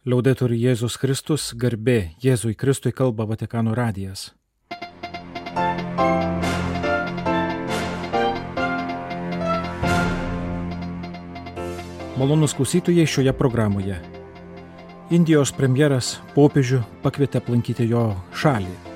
Laudetur Jėzus Kristus, garbė Jėzui Kristui, kalba Vatikano radijas. Malonūs klausytojai šioje programoje. Indijos premjeras popiežių pakvietė aplankyti jo šalį.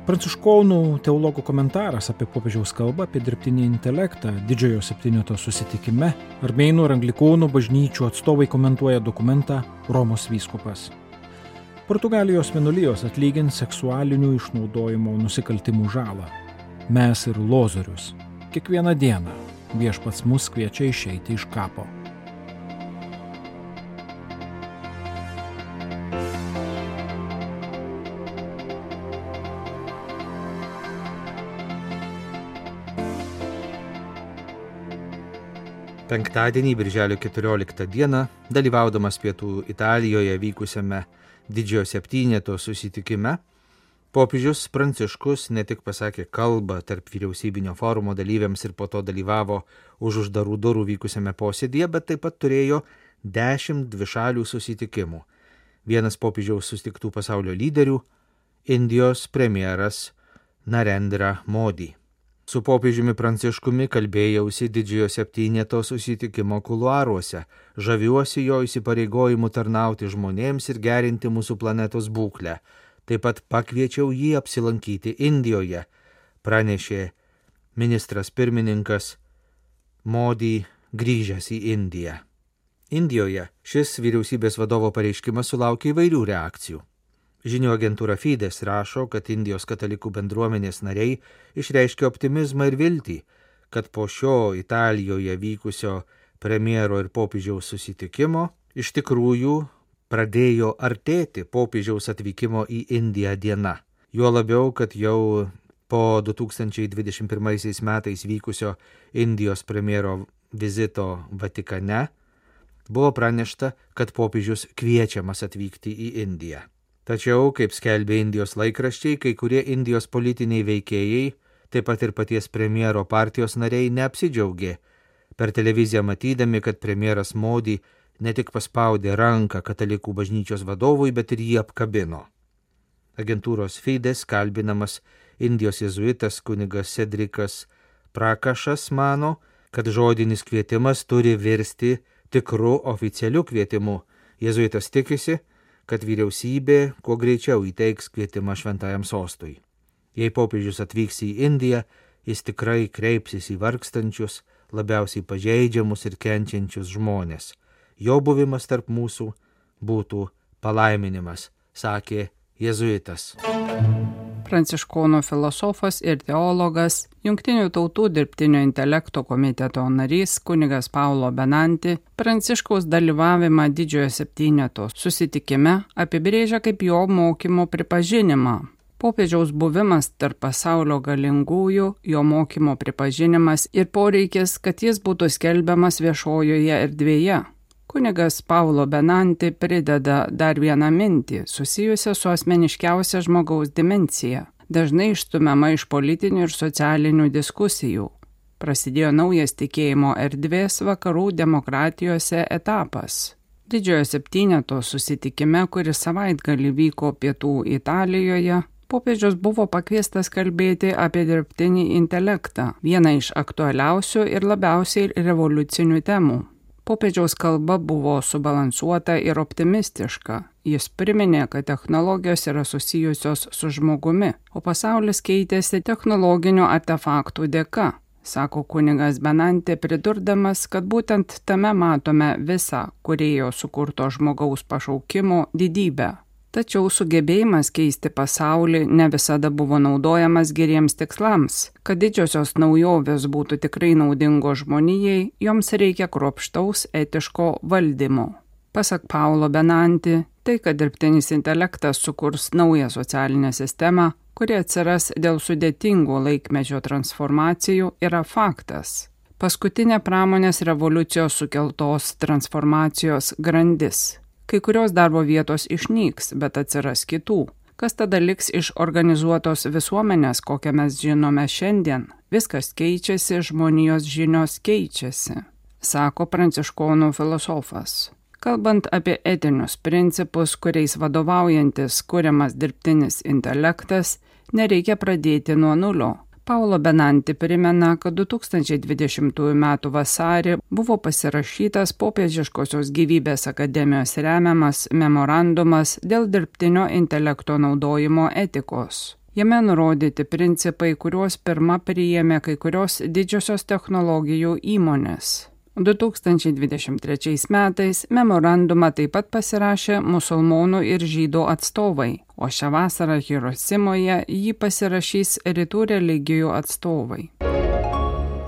Pranciškonų teologų komentaras apie popiežiaus kalbą apie dirbtinį intelektą Didžiojo septyneto susitikime. Armėnų ir anglikonų bažnyčių atstovai komentuoja dokumentą Romos vyskupas. Portugalijos vienuolijos atlygins seksualinių išnaudojimo nusikaltimų žalą. Mes ir lozorius. Kiekvieną dieną viešpats mus kviečia išeiti iš kapo. Penktadienį, birželio 14 dieną, dalyvaudamas Pietų Italijoje vykusiame Didžiojo septyneto susitikime, popiežius Pranciškus ne tik pasakė kalbą tarp vyriausybinio forumo dalyviams ir po to dalyvavo už uždarų durų vykusiame posėdyje, bet taip pat turėjo 10 dvišalių susitikimų. Vienas popiežiaus susitiktų pasaulio lyderių – Indijos premjeras Narendra Modi. Su popiežiumi Pranciškumi kalbėjausi Didžiojo septyneto susitikimo kuluaruose, žaviuosi jo įsipareigojimu tarnauti žmonėms ir gerinti mūsų planetos būklę. Taip pat pakviečiau jį apsilankyti Indijoje, pranešė ministras pirmininkas Modi grįžęs į Indiją. Indijoje šis vyriausybės vadovo pareiškimas sulaukė įvairių reakcijų. Žinių agentūra Fides rašo, kad Indijos katalikų bendruomenės nariai išreiškė optimizmą ir viltį, kad po šio Italijoje vykusio premjero ir popiežiaus susitikimo iš tikrųjų pradėjo artėti popiežiaus atvykimo į Indiją diena. Juo labiau, kad jau po 2021 metais vykusio Indijos premjero vizito Vatikane buvo pranešta, kad popiežius kviečiamas atvykti į Indiją. Tačiau, kaip skelbė Indijos laikraščiai, kai kurie Indijos politiniai veikėjai, taip pat ir paties premjero partijos nariai neapsidžiaugė, per televiziją matydami, kad premjeras Modi ne tik paspaudė ranką katalikų bažnyčios vadovui, bet ir jį apkabino. Agentūros Fides kalbinamas Indijos jėzuitas kunigas Cedrikas Prakašas mano, kad žodinis kvietimas turi virsti tikru oficialiu kvietimu. Jėzuitas tikisi, kad vyriausybė kuo greičiau įteiks kvietimą šventajam sostui. Jei popiežius atvyks į Indiją, jis tikrai kreipsis į vargstančius, labiausiai pažeidžiamus ir kenčiančius žmonės. Jo buvimas tarp mūsų būtų palaiminimas, sakė jėzuitas. Pranciškonų filosofas ir teologas, Jungtinių tautų dirbtinio intelekto komiteto narys kunigas Paulo Benanti Pranciškaus dalyvavimą Didžiojo septyneto susitikime apibrėžia kaip jo mokymo pripažinimą. Popiežiaus buvimas tarp pasaulio galingųjų, jo mokymo pripažinimas ir poreikis, kad jis būtų skelbiamas viešojoje erdvėje. Kunigas Paulo Benanti prideda dar vieną mintį, susijusią su asmeniškiausia žmogaus dimencija, dažnai išstumiama iš politinių ir socialinių diskusijų. Prasidėjo naujas tikėjimo erdvės vakarų demokratijose etapas. Didžiojo septyneto susitikime, kuris savaitgalį vyko Pietų Italijoje, popiežius buvo pakviestas kalbėti apie dirbtinį intelektą, vieną iš aktualiausių ir labiausiai revoliucinių temų. Popiežiaus kalba buvo subalansuota ir optimistiška. Jis priminė, kad technologijos yra susijusios su žmogumi, o pasaulis keitėsi technologinių artefaktų dėka, sako kunigas Benanti, pridurdamas, kad būtent tame matome visą kūrėjo sukurto žmogaus pašaukimo didybę. Tačiau sugebėjimas keisti pasaulį ne visada buvo naudojamas geriems tikslams. Kad didžiosios naujovės būtų tikrai naudingos žmonijai, joms reikia kruopštaus etiško valdymo. Pasak Paulo Benanti, tai, kad dirbtinis intelektas sukurs naują socialinę sistemą, kuri atsiras dėl sudėtingų laikmečio transformacijų, yra faktas. Paskutinė pramonės revoliucijos sukeltos transformacijos grandis. Kai kurios darbo vietos išnyks, bet atsiras kitų. Kas tada liks iš organizuotos visuomenės, kokią mes žinome šiandien? Viskas keičiasi, žmonijos žinios keičiasi, sako pranciškonų filosofas. Kalbant apie etinius principus, kuriais vadovaujantis kuriamas dirbtinis intelektas, nereikia pradėti nuo nulio. Paulo Benanti primena, kad 2020 m. vasarį buvo pasirašytas Popiežiškosios gyvybės akademijos remiamas memorandumas dėl dirbtinio intelekto naudojimo etikos. Jame nurodyti principai, kuriuos pirma priėmė kai kurios didžiosios technologijų įmonės. 2023 metais memorandumą taip pat pasirašė musulmonų ir žydų atstovai, o šią vasarą Hirosimoje jį pasirašys rytų religijų atstovai.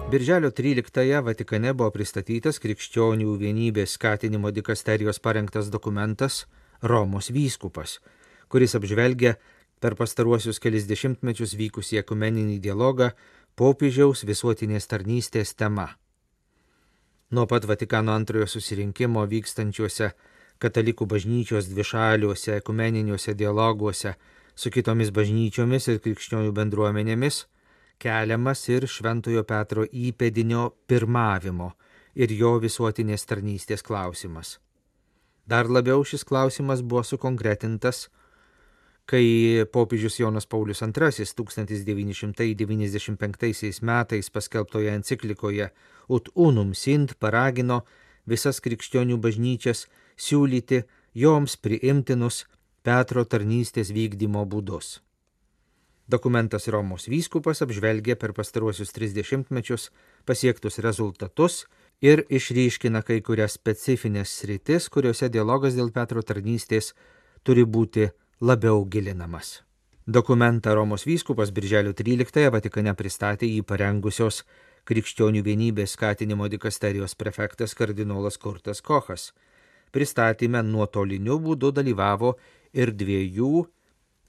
Birželio 13-ąją Vatikane buvo pristatytas Krikščionių vienybės skatinimo dikasterijos parengtas dokumentas Romos vyskupas, kuris apžvelgia per pastaruosius kelis dešimtmečius vykusį ekumeninį dialogą popiežiaus visuotinės tarnystės tema. Nuo pat Vatikano antrojo susirinkimo vykstančiuose katalikų bažnyčios dvišaliuose ekumeniniuose dialoguose su kitomis bažnyčiomis ir krikščionių bendruomenėmis keliamas ir Šventojo Petro įpėdinio pirmavimo ir jo visuotinės tarnystės klausimas. Dar labiau šis klausimas buvo sukonkretintas, kai popiežius Jonas Paulius II 1995 metais paskelbtoje enciklikoje Ut unum sint paragino visas krikščionių bažnyčias siūlyti joms priimtinus Petro tarnystės vykdymo būdus. Dokumentas Romos vyskupas apžvelgia per pastaruosius 30 mečius pasiektus rezultatus ir išryškina kai kurias specifines sritis, kuriuose dialogas dėl Petro tarnystės turi būti labiau gilinamas. Dokumentą Romos vyskupas birželio 13-ąją Vatikane pristatė jį parengusios Krikščionių vienybės skatinimo dikasterijos prefektas kardinolas Kurtas Kochas. Pristatyme nuotoliniu būdu dalyvavo ir 2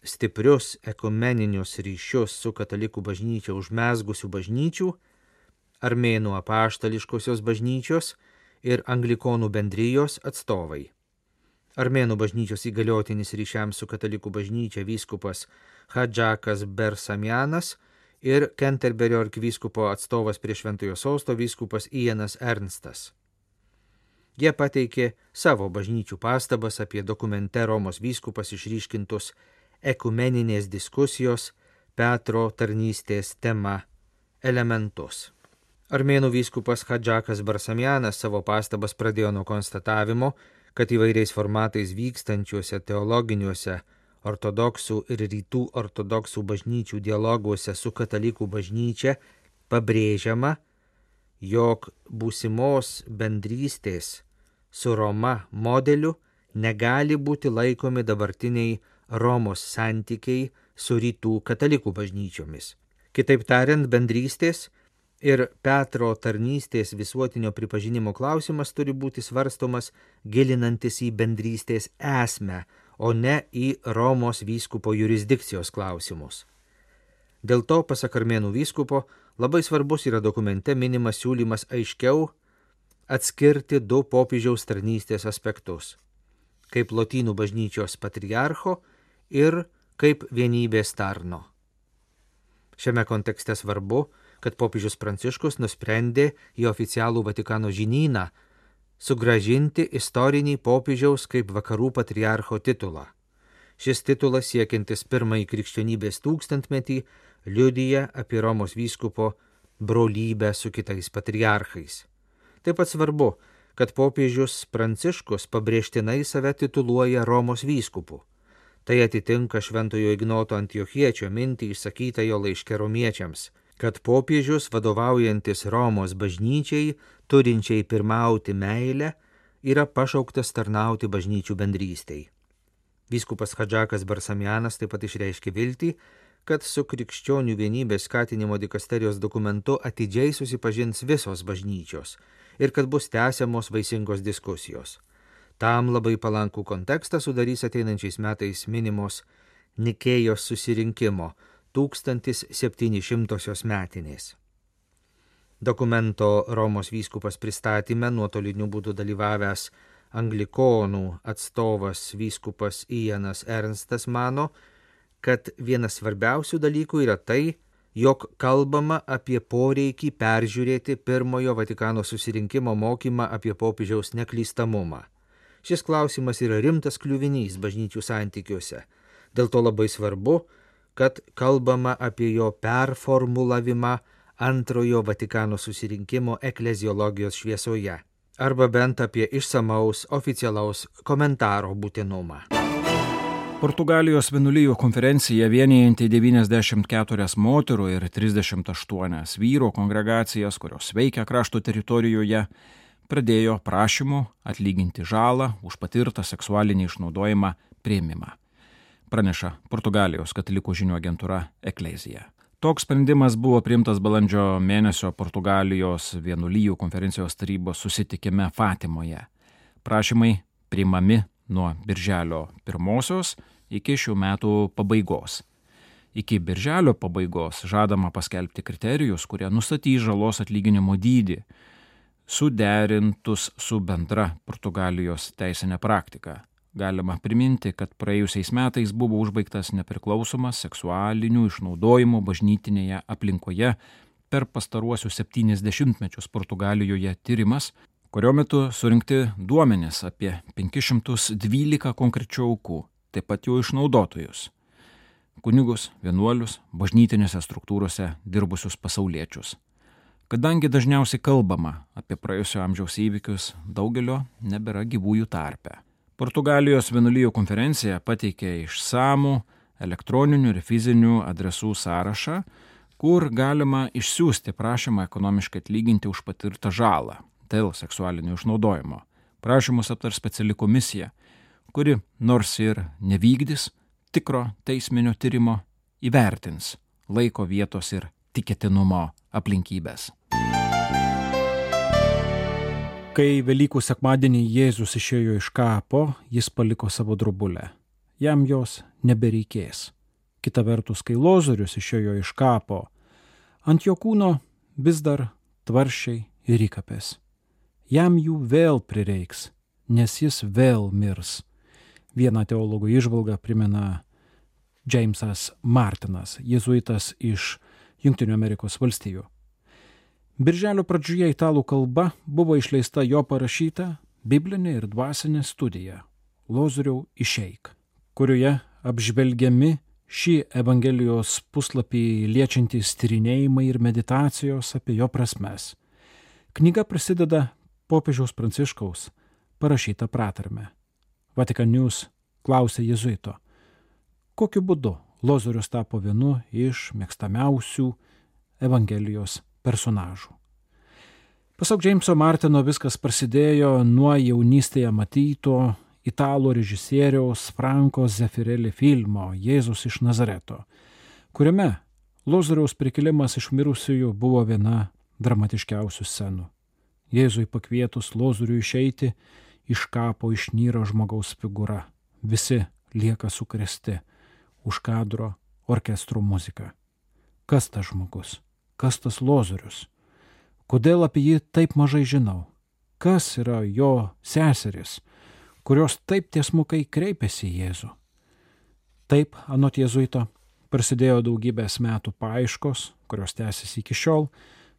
stiprius ekumeninius ryšius su katalikų bažnyčia užmezgusių bažnyčių, Armėnų apaštališkosios bažnyčios ir Anglikonų bendrijos atstovai. Armėnų bažnyčios įgaliotinis ryšiams su katalikų bažnyčia vyskupas Hadžakas Bersamianas ir Kenterberio arkivyskupo atstovas prie Šventojo Sosto vyskupas Ianas Ernstas. Jie pateikė savo bažnyčių pastabas apie dokumente Romos vyskupas išryškintus ekumeninės diskusijos Petro tarnystės tema elementus. Armėnų vyskupas Hadžakas Bersamianas savo pastabas pradėjo nuo konstatavimo, kad įvairiais formatais vykstančiuose teologiniuose ortodoksų ir rytų ortodoksų bažnyčių dialoguose su katalikų bažnyčia pabrėžiama, jog būsimos bendrystės su Roma modeliu negali būti laikomi dabartiniai Romos santykiai su rytų katalikų bažnyčiomis. Kitaip tariant, bendrystės ir Petro tarnystės visuotinio pripažinimo klausimas turi būti svarstomas gilinantis į bendrystės esmę, o ne į Romos vyskupo jurisdikcijos klausimus. Dėl to, pasak Armėnų vyskupo, labai svarbus yra dokumente minimas siūlymas aiškiau atskirti 2 popiežiaus tarnystės aspektus – kaip Lotynų bažnyčios patriarcho ir kaip vienybės tarno. Šiame kontekste svarbu, kad popiežius Pranciškus nusprendė į oficialų Vatikano žinyną sugrąžinti istorinį popiežiaus kaip vakarų patriarcho titulą. Šis titulas siekiantis pirmąjį krikščionybės tūkstantmetį liudija apie Romos vyskupo brolybę su kitais patriarchais. Taip pat svarbu, kad popiežius Pranciškus pabrėžtinai save tituluoja Romos vyskupu. Tai atitinka Šventojo Ignoto Antiochiečio mintį išsakytą jo laiške romiečiams, kad popiežius vadovaujantis Romos bažnyčiai, turinčiai pirmauti meilę, yra pašauktas tarnauti bažnyčių bendrystei. Vyskupas Hadžakas Bersamianas taip pat išreiškė viltį, kad su Krikščionių vienybės skatinimo dikasterijos dokumentu atidžiai susipažins visos bažnyčios ir kad bus tęsiamos vaisingos diskusijos. Tam labai palankų kontekstą sudarys ateinančiais metais minimos Nikėjos susirinkimo 1700 metinės. Dokumento Romos vyskupas pristatyme nuotoliniu būdu dalyvavęs Anglikonų atstovas vyskupas Ianas Ernstas mano, kad vienas svarbiausių dalykų yra tai, jog kalbama apie poreikį peržiūrėti pirmojo Vatikano susirinkimo mokymą apie popiežiaus neklystamumą. Šis klausimas yra rimtas kliuvinys bažnyčių santykiuose. Dėl to labai svarbu, kad kalbama apie jo performulavimą antrojo Vatikano susirinkimo ekleziologijos šviesoje, arba bent apie išsamaus oficialaus komentaro būtinumą. Portugalijos vienuolijų konferencija vienijanti 94 moterų ir 38 vyrų kongregacijas, kurios veikia krašto teritorijoje, pradėjo prašymų atlyginti žalą už patirtą seksualinį išnaudojimą priėmimą, praneša Portugalijos katalikų žinių agentūra Eklezija. Toks sprendimas buvo priimtas balandžio mėnesio Portugalijos vienuolijų konferencijos tarybos susitikime Fatimoje. Prašymai priimami nuo birželio 1 iki šių metų pabaigos. Iki birželio pabaigos žadama paskelbti kriterijus, kurie nustatys žalos atlyginimo dydį, suderintus su bendra Portugalijos teisinė praktika. Galima priminti, kad praėjusiais metais buvo užbaigtas nepriklausomas seksualinių išnaudojimų bažnytinėje aplinkoje per pastaruosius 70 mečius Portugalijoje tyrimas, kurio metu surinkti duomenys apie 512 konkrečių aukų, taip pat jų išnaudotojus, kunigus, vienuolius, bažnytinėse struktūrose dirbusius pasauliečius. Kadangi dažniausiai kalbama apie praėjusio amžiaus įvykius, daugelio nebėra gyvųjų tarpe. Portugalijos vienuolijų konferencija pateikė išsamų elektroninių ir fizinių adresų sąrašą, kur galima išsiųsti prašymą ekonomiškai atlyginti už patirtą žalą dėl seksualinio išnaudojimo. Prašymus aptars speciali komisija, kuri nors ir nevykdys tikro teisminio tyrimo, įvertins laiko, vietos ir tikėtinumo aplinkybės. Kai Velykų sekmadienį Jėzus išėjo iš kapo, jis paliko savo drobulę. Jam jos nebereikės. Kita vertus, kai Lozorius išėjo iš kapo, ant jo kūno vis dar tvaršiai ir įkapės. Jam jų vėl prireiks, nes jis vėl mirs. Vieną teologų įžvalgą primena Jamesas Martinas, jėzuitas iš Jungtinių Amerikos valstijų. Birželio pradžioje italų kalba buvo išleista jo parašyta biblinė ir dvasinė studija Lozoriau išeik, kurioje apžvelgiami šį Evangelijos puslapį liečiantys tyrinėjimai ir meditacijos apie jo prasmes. Knyga prasideda popiežiaus Pranciškaus parašyta pratarme. Vatican News klausė jėzuito, kokiu būdu Lozorius tapo vienu iš mėgstamiausių Evangelijos personažų. Pasak Jameso Martino viskas prasidėjo nuo jaunystėje matyto italų režisieriaus Franco Zeffirelli filmo Jėzus iš Nazareto, kuriame Lozoriaus prikėlimas iš mirusiųjų buvo viena dramatiškiausių scenų. Jėzui pakvietus Lozoriui išeiti, iš kapo išnyra žmogaus figūra. Visi lieka sukrėsti, už kadro orkestro muzika. Kas tas žmogus? Kas tas Lozorius? Kodėl apie jį taip mažai žinau? Kas yra jo seseris, kurios taip tiesmukai kreipėsi į Jėzų? Taip, anot jėzuito, prasidėjo daugybės metų paieškos, kurios tęsiasi iki šiol,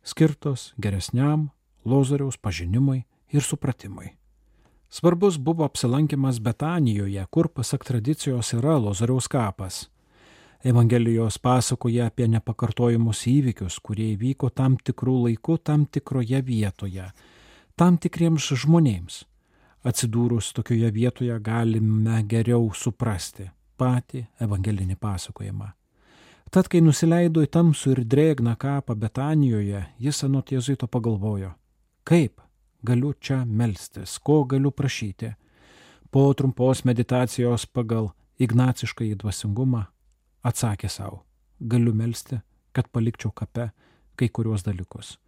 skirtos geresniam Lozoriaus pažinimui ir supratimui. Svarbus buvo apsilankimas Betanijoje, kur pasak tradicijos yra Lozoriaus kapas. Evangelijos pasakoja apie nepakartojimus įvykius, kurie įvyko tam tikrų laikų, tam tikroje vietoje, tam tikriems žmonėms. Atsidūrus tokioje vietoje galime geriau suprasti patį evangelinį pasakojimą. Tad, kai nusileido į tamsų ir drėgną kapą Betanijoje, jis anot jėzuito pagalvojo, kaip galiu čia melstis, ko galiu prašyti. Po trumpos meditacijos pagal ignaciškąjį dvasingumą atsakė savo, galiu melsti, kad palikčiau kape kai kuriuos dalykus.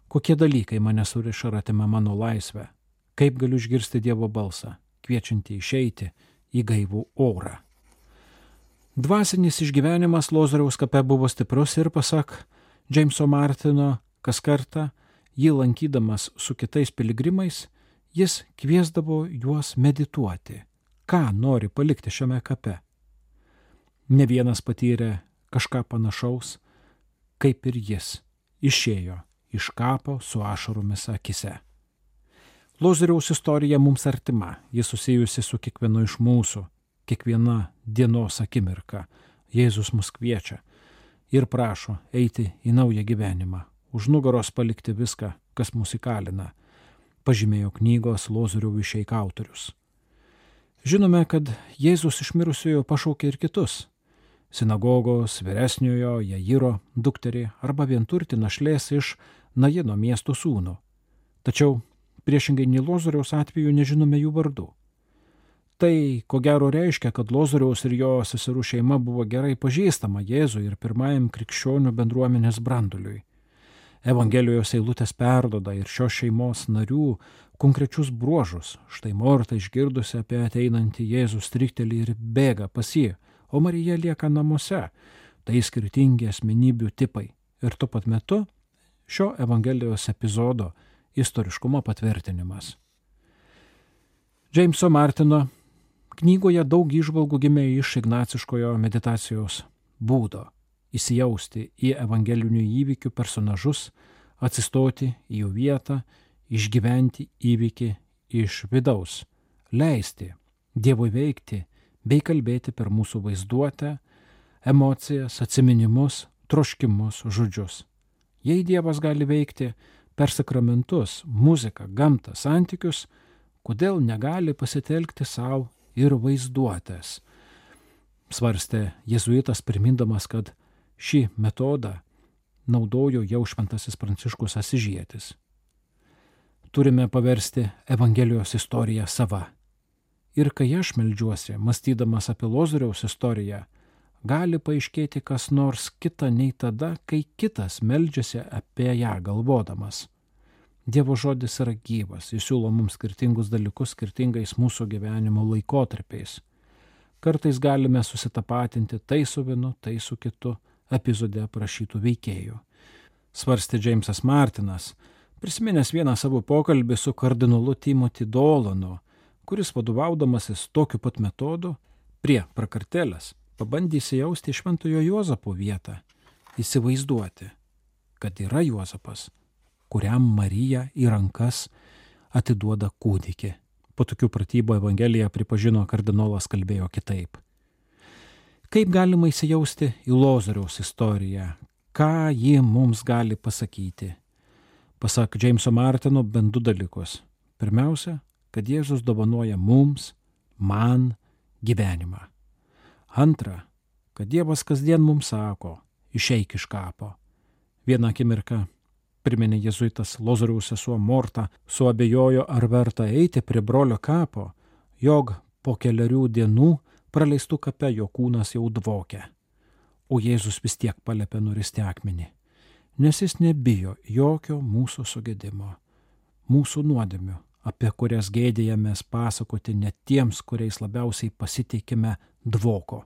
Kokie dalykai mane suriša ir atima mano laisvę? Kaip galiu išgirsti Dievo balsą, kviečiantį išeiti į gaivų orą? Dvasinis išgyvenimas Lozoriaus kape buvo stiprus ir pasak Jameso Martino, kas kartą jį lankydamas su kitais piligrimais, jis kviesdavo juos medituoti, ką nori palikti šiame kape. Ne vienas patyrė kažką panašaus, kaip ir jis išėjo iš kapo su ašaromis akise. Lozoriaus istorija mums artima, ji susijusi su kiekvienu iš mūsų, kiekviena dienos akimirka. Jėzus mus kviečia ir prašo eiti į naują gyvenimą, už nugaros palikti viską, kas mus įkalina, pažymėjo knygos Lozoriaus išeik autorius. Žinome, kad Jėzus iš mirusiojo pašaukė ir kitus. Sinagogos vyresniojo Jairo dukterį arba vienturtį našlės iš Najino miesto sūnų. Tačiau priešingai nei Lozoriaus atveju nežinome jų vardų. Tai, ko gero, reiškia, kad Lozoriaus ir jo seserų šeima buvo gerai pažįstama Jėzui ir pirmajam krikščionių bendruomenės branduliui. Evangelijos eilutės perdoda ir šios šeimos narių konkrečius bruožus. Štai Morta išgirdusi apie ateinantį Jėzų striktelį ir bėga pas jį, o Marija lieka namuose. Tai skirtingi asmenybių tipai ir tuo pat metu šio Evangelijos epizodo istoriškumo patvirtinimas. Džeimso Martino knygoje daug įžvalgų gimė iš ignaciškojo meditacijos būdo – įsijausti į evangelinių įvykių personažus, atsistoti į jų vietą, išgyventi įvykį iš vidaus, leisti Dievui veikti bei kalbėti per mūsų vaizduotę, emocijas, atsiminimus, troškimus, žodžius. Jei Dievas gali veikti per sakramentus, muziką, gamtą, santykius, kodėl negali pasitelkti savo ir vaizduotės? Svarstė jėzuitas primindamas, kad šį metodą naudojo jau šventasis Pranciškus Asyžietis. Turime paversti Evangelijos istoriją sava. Ir kai aš meldžiuosi, mąstydamas apie Lozoriaus istoriją, gali paaiškėti kas nors kita nei tada, kai kitas meldžiasi apie ją galvodamas. Dievo žodis yra gyvas, jis siūlo mums skirtingus dalykus skirtingais mūsų gyvenimo laikotarpiais. Kartais galime susitapatinti tai su vienu, tai su kitu epizode aprašytų veikėjų. Svarstė Džeimsas Martinas, prisiminęs vieną savo pokalbį su kardinolu Timothy Dolanu, kuris vadovaudamasis tokiu pat metodu prie prakartėlės pabandė įsijausti į Šventojo Juozapo vietą, įsivaizduoti, kad yra Juozapas, kuriam Marija į rankas atiduoda kūdikį. Po tokių pratybų Evangelija, pripažino kardinolas, kalbėjo kitaip. Kaip galima įsijausti į Lozoriaus istoriją? Ką ji mums gali pasakyti? Pasak Džeimso Martino, bent du dalykus. Pirmiausia, kad Jėzus dovanoja mums, man, gyvenimą. Antra, kad Dievas kasdien mums sako, išeik iš kapo. Vieną akimirką, priminė jėzuitas Lozoriaus sesuo Morta, suabejojo, ar verta eiti prie brolio kapo, jog po keliarių dienų praleistų kape jo kūnas jau dvokia. O Jėzus vis tiek paliepė nuristi akmenį, nes jis nebijo jokio mūsų sugedimo, mūsų nuodėmių, apie kurias gėdėjamės pasakoti net tiems, kuriais labiausiai pasitikime, dvoko.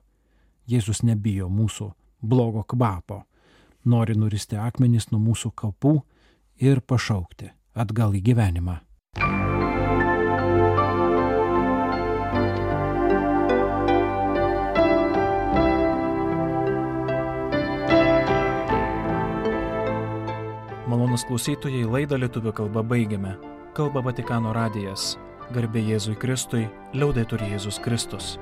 Jėzus nebijo mūsų blogo kvapo, nori nuristi akmenis nuo mūsų kapų ir pašaukti atgal į gyvenimą. Malonūs klausytojai, laidą lietuvių kalba baigiame. Kalba Vatikano radijas. Garbė Jėzui Kristui, liaudetur Jėzus Kristus.